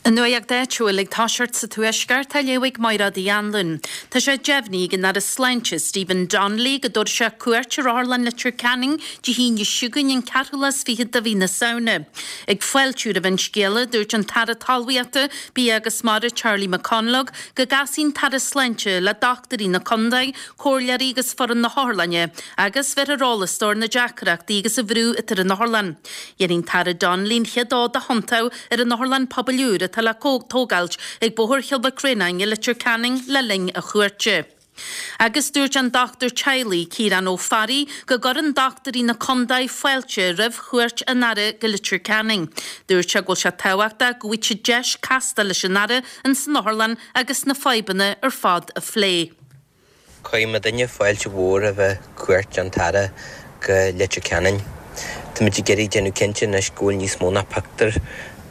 An nuacht áitiúil ag toiseacht sa Tuaisceart á léamh ag Mairéad Uí Anluain. Tá sé deimhnithe ag an Aire Sláinte, Stephen Donnelly, go dtabharfaidh sé cuairt ar Otharlann Leitir Ceanainn Dé hAoine seo chugainn, an ceathrú lá is fichead de mhí na Samhna. Ag fáiltiú roimh an scéala, dúirt an tAire Talmhaíochta, Bia agus Mara Charlie McConalogue go gcasfaidh an tAire Sláinte le dochtúirí na contae, comhairleoirí agus foireann na hotharlainne agus bheirfear eolas dó ar na deacrachtaí agus an bhrú atá ar an otharlann. Dhéanfaidh an tAire Donnelly an chéad fhód a thiontú ar an Otharlann Pobail úr atá le tógáilt ag Bóthar Chill Mhic Réanáin i Leitir Ceanainn le linn a chuairte. Agus dúirt an dochtúir teaghlaigh, Ciarán Ó Fearraigh, go gcuireann dochtúirí na contae fáilte roimh chuairt an Aire go Leitir Ceanainn. Dúirt sé go bhfuil sé tábhachtach go bhfaighidh siad deis castáil leis an Aire ins an otharlann agus na fadhbanna ar fad a phlé. Cuirfidh muidinne fáilte mhór roimh cuairt an tAire go Leitir Ceanainn. Táimid ag iarraidh déanamh cinnte anois go bhfuil níos mó ná pictiúr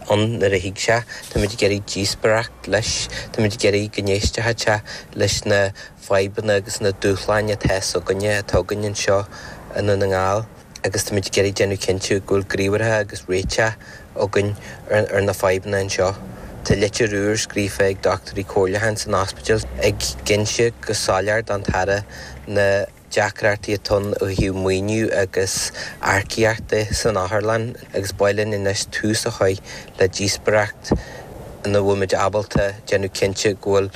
ann nuair a thig sé. Táimid ag iarraidh díospóireacht leis. Táimid ag iarraidh go n-éistfeadh sé leis na fadhbanna agus na dúshláin atá s'againne, atá againn anseo i nDún na nGall. agus táimid ag iarraidh déanamh cinnte go bhfuil gníomhartha agus réiteach againn ar na fadhbanna anseo. Tá litir úr scríofa ag dochtúirí comhairleacháin san ospidéal ag inse go soiléir don tAire na deacrachtaí atá ann ó thaobh maoiniú agus earcaíocht de san otharlann agus ba mhaith linn anois tús a chur le díospóireacht ina bhfuil muid ábalta déanamh cinnte go bhfuil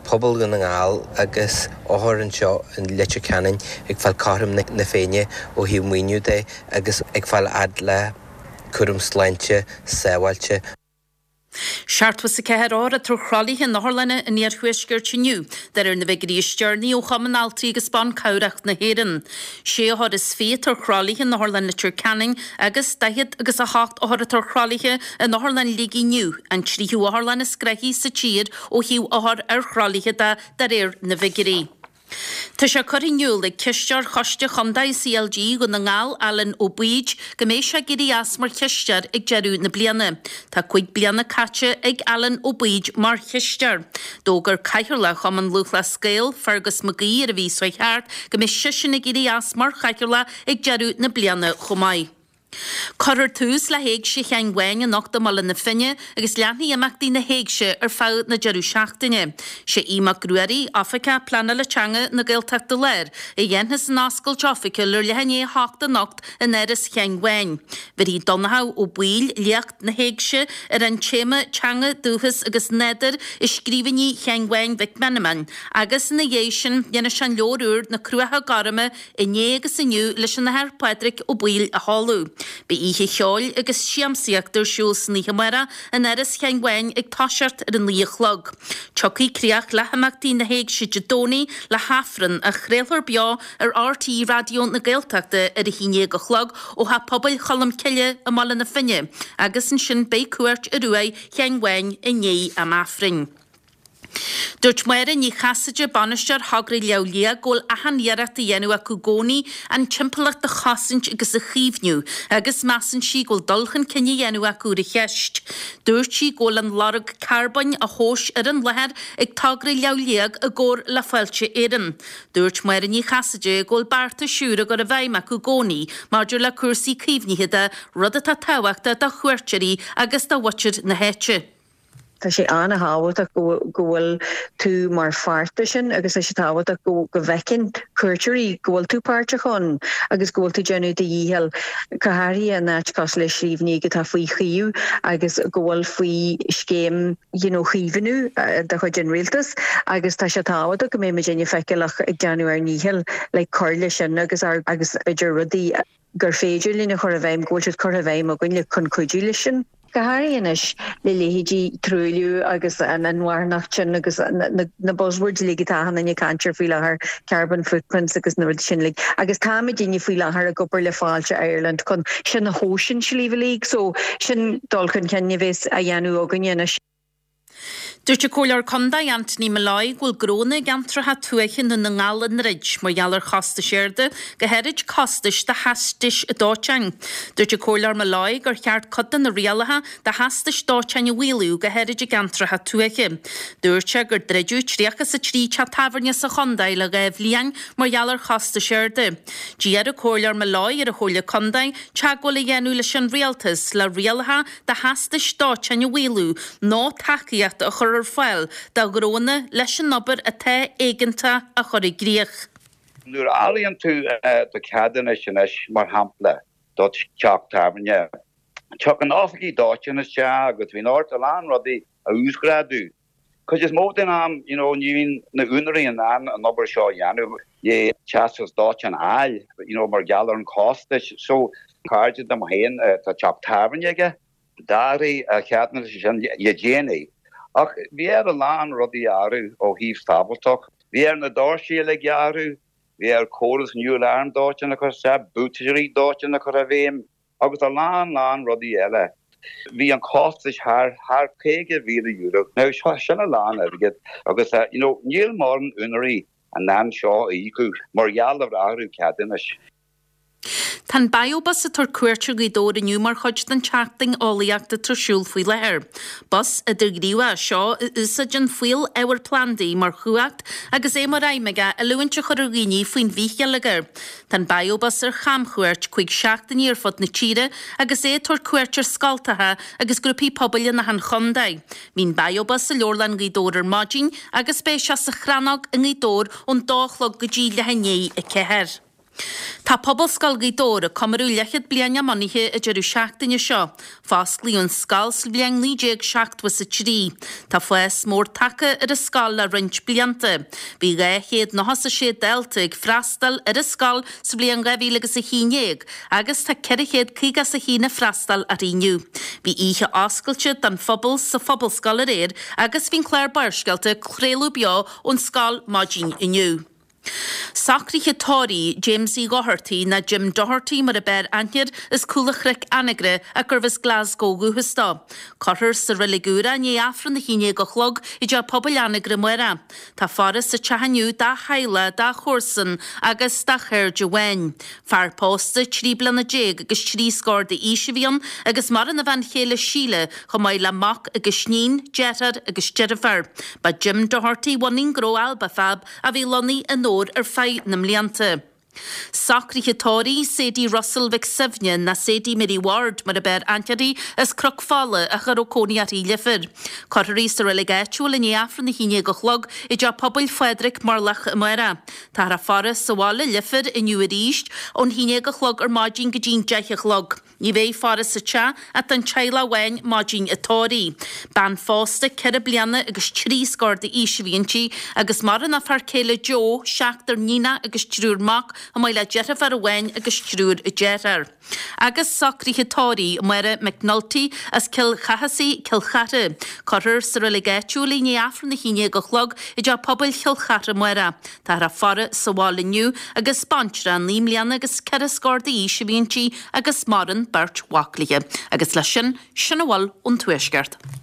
pobal Dhún na nGall agus othair anseo i Leitir Ceanainn ag fáil cothrom na Féinne ó thaobh maoiniú de agus ag fáil fhad le cúram sláinte sábháilte. 74 othar atá ar throlaithe in otharlanna an iarthuaiscirt inniu, de réir na bhfigiúirí is deireanaí ó Chumann Altraí agus Ban Cabhrach na hÉireann. Sé othar is 20 atá ar throlaithe in Otharlann Leitir Ceanainn agus 48 othar atá ar throlaithe in Otharlann Shligigh inniu, an tríú otharlann is gnoithí sa tír ó thaobh othar ar throlaithe de, de réir na bhfigiúirí. Tá sé curtha in iúl ag Cisteoir Choiste Chontae CLG Dhún na nGall, Alan Ó Baoid, go mbeidh sé ag éirí as mar chisteoir ag deireadh na bliana. Tá 5 bliana caite ag Alan Ó Baoid mar chisteoir. D'fhógair Cathaoirleach Chumann Lúthchleas Gael, Fergus McGee ar an mhí seo thart go mbeidh seisean ag éirí as mar chathaoirleach ag deireadh na bliana chomh maith. Cuirfear tús le hÉigse Sheáin Bháin anocht i mBaile na Finne agus leanfaidh imeachtaí na hÉigse ar feadh na deireadh seachtaine. Sé Aodh Mac Ruairí, Oifigeach Pleanála Teanga na Gaeltachta Láir, a dhéanfas an oscailt oifigiúil ar leath i ndiaidh 8 anocht in Áras Sheáin Bháin. Bhéarfaidh Donnchadh Ó Baoill léacht na hÉigse ar an téama 'Teanga, Dúchas agus Nádúr i Scríbhinní Sheáin Bháin Mhic Meanman' agus ina dhiaidh sin dhéanfaidh sé an leabhar úr 'Na Cruacha Gorma Inné agus Inniu leis an Athair Pádraig Ó Baoill a sheoladh. Beidh oíche cheoil agus siamsaíochta ar siúl san oíche amárach in Áras Sheáin Bháin ag toiseacht ar a 9 a chlog. Tiocfaidh críoch le himeachtaí na hÉigse Dé Domhnaigh le hAifreann, a chraolfar beo ar RTÉ Raidió na Gaeltachta ar a haon déag a chlog ó Theach Pobail Cholm Cille i mBaile na Finne agus ansin beidh cuairt ar uaigh Sheáin Bháin i ndiaidh am Aifrinn. Dúirt Máire Ní Chasaide, Bainisteoir Thogra Shliabh Liag, go bhfuil achan iarracht á dhéanamh acu i gcónaí an timpeallacht a chosaint agus a chaomhnú agus measann sí go bhfuil dul chun cinn á dhéanamh acu ar an cheist. Dúirt sí go bhfuil an lorg carbóin á thomhas ar an láthair ag Togra Shliabh Liag i gcomhar le Fáilte Éireann. Dúirt Máire Ní Chasaide go bhfuil beartais úra á gcur i bhfeidhm acu i gcónaí maidir le cúrsaí caomhnaithe de, rud atá tábhachtach do chuairteoirí agus do mhuintir na háite. Tá sé an-thábhachtach go bhfuil tú mar pháirt de sin agus tá sé tábhachtach go bhfeiceann cuairteoirí go bhfuil tú páirteach ann agus go bhfuil tú déanamh do dhícheall, go háirithe in áit cosúil le Sliabh Liag atá faoi chaomhnú agus go bhfuil faoi scéim you know chaomhnú de chuid an rialtais agus tá sé tábhachtach go mbeidh muidinne feiceálach ag déanamh ár ndícheall le cur leis sin agus ár agus b'fhéidir rudaí gur féidir linn a chur i bhfeidhm, go bhfuil siad curtha i bhfeidhm againn le chun cuidiú leis sin. Go háirithe anois le leithéidí truailliú agus an inmharthanacht sin agus na buzzwords uilig atá achan duine ag caint air faoi láthair, carbon footprints agus na rudaí sin uilig. Agus táimidinne faoi láthair ag obair le Fáilte Ireland chun sin a thomhas in Sliabh Liag so sin dul chun cinn a bheas á dhéanamh againne anois. Dúirt an Comhairleoir Condae Anthony Molloy go bhfuil gnónna i gceantracha tuaithe i nDún na nGall i ndroid mar gheall ar chostais arda, go háirid costais do theastais dóiteáin. Dúirt an Comhairleoir Molloy gur cheart cuid de na rialacha do theastais dóiteáin a mhaolú, go háirid i gceantracha tuaithe. Dúirt sé gur druideadh 33 teach tábhairne sa chondae le 2 bhliain mar gheall ar chostais arda. D'iarr an Comhairleoir Molloy ar an Chomhairle Condae teagmháil a dhéanamh leis an Rialtas le rialacha do theastais dóiteáin a mhaolú nó tacaíocht a chur ar fáil do ghnónna leis an obair atá éigeantach a chur i gcrích. Nuair a fhálann tú do cheadúnas anois, mar shampla, do theach tábhairne, tagann oifigigh dóiteáin isteach agus bíonn ort a lán rudaí a uasghrádú. Cuid is mó den am, you know, ní bhíonn na úinéirí in ann an obair seo a dhéanamh le teastas dóiteáin a fháil, you know, mar gheall ar an chostais. So, cairde dom féin, tá teach tábhairne aige, d'athraigh a cheadúnas sin le déanaí, ach bhí air a lán rudaí a athrú ó thaobh sábháilteacht. Bhí air na doirsí uilig a athrú, bhí air córas nua alarm dóiteáin a chur isteach, buataisirí dóiteáin a chur i bhfeidhm. agus a lán lán rudaí eile. Bhí an costas thar thar €50,000. Now sin a lán airgead agus you know níl mórán úinéirí in ann seo a íocadh mar gheall ar athrú ceadúnais. Tá an BioBus ag tabhairt cuairt ar Ghaoth Dobhair inniu mar chuid den tSeachtain Eolaíochta atá ar siúl faoi láthair. Bus idirghníomhach é seo a úsáideann fuíoll ábhar plandaí mar chumhacht agus é mar aidhm aige oiliúint a chur ar dhaoine faoin bhithgheilleagar. Tá an BioBus ar chamchuairt 5 seachtainí ar fud na tíre agus é ag tabhairt cuairt ar scoltacha agus grúpaí pobail in achan chontae. Bhí an BioBus i Leabharlann Ghaoth Dobhair ar maidin agus beidh sé sa Chrannóg i nGaoth Dobhair ón dó a chlog go dtí leath i ndiaidh 4. Tá Pobalscoil Ghaoth Dobhair ag comóradh leathchéad bliain dá mbunaithe an deireadh seachtaine seo. Fosclaíodh an scoil sa bhliain 1973. Tá fás mór tagtha ar an scoil le roinnt blianta. Bhí 296 dalta ag freastal ar an scoil sa bhliain 2011 agus tá 451 ag freastal uirthi inniu. Bhí oíche oscailte don phobal sa Phobalscoil aréir agus bhí an clár Barrscéalta ag craoladh beo ón scoil maidin inniu. Socruithe tórraimh James Uí Dhochartaigh, nó Jim Doherty mar a b'fhearr aithne air, as Cúl an Chnoic, Anagaire, ach gurbh as Glasgow ó dhúchas dó. Cuirfear sa Reilig Úr é i ndiaidh Aifreann a haon déag a chlog i dTeach Pobail Anagaire amárach. Tá faire sa teach inniu dá theaghlach, dá chomharsain agus dá chairde amháin. Fear pósta 13 bliana agus trí scór d'aois a bhí ann agus maireann a bhean chéile Síle chomh maith le mac agus iníon, deartháir agus deirfiúr. Ba Jim Doherty a bhunaigh an gnó Alba Fab a bhí lonnaithe i nDobhar ar feadh na mblianta. Socruithe tórraimh Sadie Russell Mhic Suibhne, nó Sadie Mary Ward mar a b'fhearr aithne uirthi, as Cnoc Fola ach a raibh cónaí uirthi i Leifear. Cuirfear í sa reilig áitiúil i ndiaidh Aifreann 11 a chlog i dTeach Pobail Phádraig, Murlach amárach. Táthar á faire sa bhaile, Leifear, inniu arís ón 11 a chlog ar maidin go dtí'n 10 a chlog. Ní bheidh faire sa teach ach don teaghlach amháin maidin an tórraimh. Bean phósta ceithre bliana agus trí scór d'aois a bhí inti agus maireann a fear céile Joe, seachtar níonach agus triúr mac, chomh maith le deirfiúr amháin agus triúr dearthár. Agus socruithe tórraimh Máire McNulty as Cill Chathasaigh, Cill Chartha. Cuirfear sa reilig áitiúil í i ndiaidh Aifreann 11 a chlog i dTeach Pobail Chill Chartha amárach. Táthar á faire sa bhaile inniu agus baintreach naoi mbliana agus ceithre scór d'aois a bhí inti agus maireann beirt mhac léi. Agus leis sin, sin a bhfuil ón Tuaisceart.